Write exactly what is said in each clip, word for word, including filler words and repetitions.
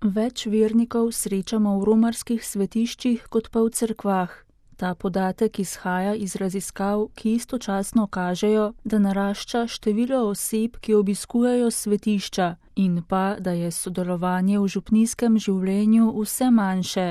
Več vernikov srečamo v romarskih svetiščih kot pa v cerkvah. Ta podatek izhaja iz raziskav, ki istočasno kažejo, da narašča število oseb, ki obiskujejo svetišča, in pa, da je sodelovanje v župnijskem življenju vse manjše.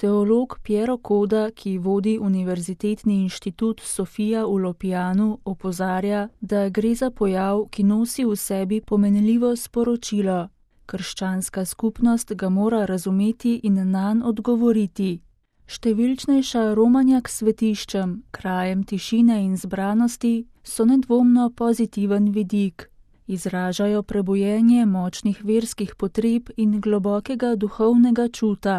Teolog Piero Coda, ki vodi Univerzitetni inštitut Sofia v Lopijanu, opozarja, da gre za pojav, ki nosi v sebi pomenljivo sporočilo. Krščanska skupnost ga mora razumeti in nanj odgovoriti. Številčnejša romanja k svetiščem, krajem tišine in zbranosti, so nedvomno pozitiven vidik. Izražajo prebujenje močnih verskih potreb in globokega duhovnega čuta.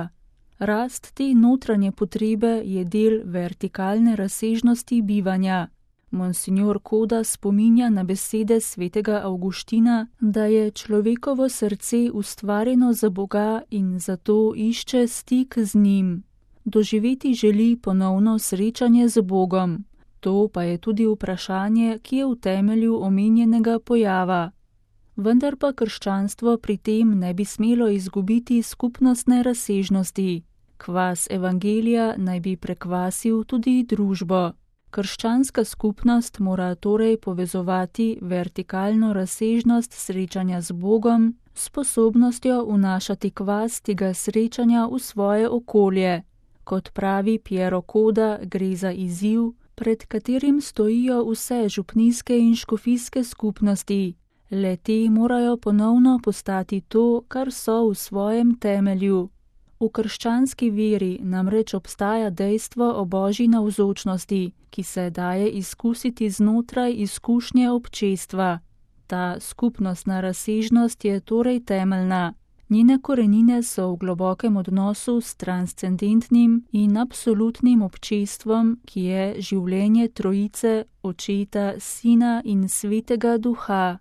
Rast te notranje potrebe je del vertikalne razsežnosti bivanja. Monsignor Coda spominja na besede svetega Avguština, da je človekovo srce ustvarjeno za Boga in zato išče stik z njim. Doživeti želi ponovno srečanje z Bogom. To pa je tudi vprašanje, ki je v temelju omenjenega pojava. Vendar pa krščanstvo pri tem ne bi smelo izgubiti skupnostne razsežnosti. Kvas evangelija naj bi prekvasil tudi družbo. Krščanska skupnost mora torej povezovati vertikalno razsežnost srečanja z Bogom s sposobnostjo vnašati kvas tega srečanja v svoje okolje. Kot pravi Piero Coda, gre za izziv, pred katerim stojijo vse župnijske in škofijske skupnosti. Le-te morajo ponovno postati to, kar so v svojem temelju. V krščanski veri namreč obstaja dejstvo o Božji navzočnosti, ki se daje izkusiti znotraj izkušnje občestva. Ta skupnostna razsežnost je torej temeljna. Njene korenine so v globokem odnosu s transcendentnim in absolutnim občestvom, ki je življenje Trojice, Očeta, Sina in Svetega Duha.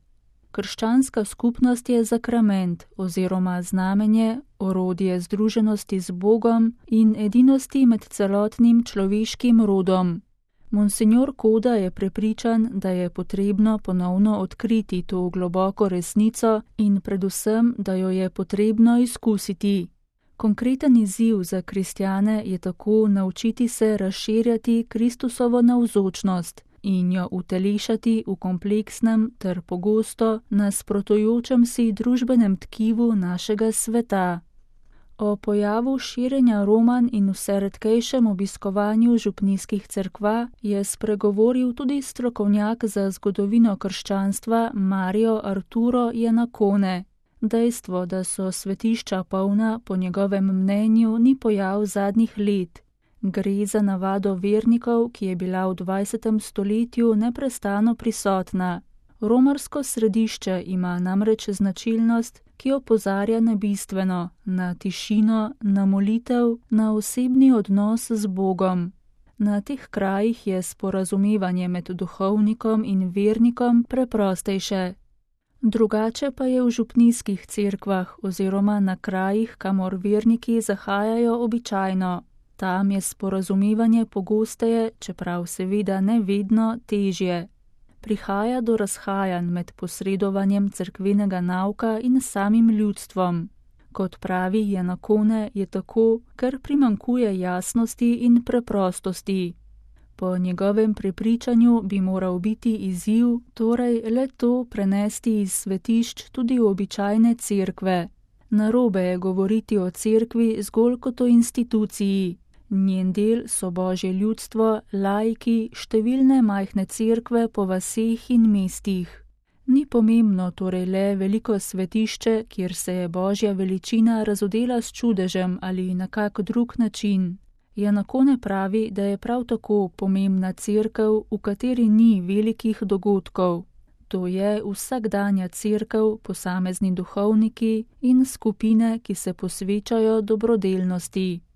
Krščanska skupnost je zakrament oziroma znamenje, orodje združenosti z Bogom in edinosti med celotnim človeškim rodom. Monsignor Coda je prepričan, da je potrebno ponovno odkriti to globoko resnico in predvsem, da jo je potrebno izkusiti. Konkreten izziv za kristjane je tako naučiti se razširjati Kristusovo navzočnost in jo utelešati v kompleksnem ter pogosto nasprotujočem si družbenem tkivu našega sveta. O pojavu širjenja romanj in vse redkejšem obiskovanju župnijskih cerkva je spregovoril tudi strokovnjak za zgodovino krščanstva Mario Arturo Iannacone. Dejstvo, da so svetišča polna, po njegovem mnenju ni pojav zadnjih let. Gre za navado vernikov, ki je bila v dvajsetem stoletju neprestano prisotna. Romarsko središče ima namreč značilnost, ki opozarja na bistveno, na tišino, na molitev, na osebni odnos z Bogom. Na teh krajih je sporazumevanje med duhovnikom in vernikom preprostejše. Drugače pa je v župnijskih cerkvah oziroma na krajih, kamor verniki zahajajo običajno. Tam je sporazumevanje pogosteje, čeprav seveda ne vedno, težje. Prihaja do razhajanj med posredovanjem cerkvenega nauka in samim ljudstvom. Kot pravi Iannacone, je tako, ker primanjkuje jasnosti in preprostosti. Po njegovem prepričanju bi moral biti izziv, torej le to prenesti iz svetišč tudi v običajne cerkve. Narobe je govoriti o cerkvi zgolj kot o instituciji. Njen del so Božje ljudstvo, laiki, številne majhne cerkve po vaseh in mestih. Ni pomembno torej le veliko svetišče, kjer se je Božja veličina razodela s čudežem ali na kak drug način. Iannacone pravi, da je prav tako pomembna cerkev, v kateri ni velikih dogodkov. To je vsakdanja cerkev, posamezni duhovniki in skupine, ki se posvečajo dobrodelnosti.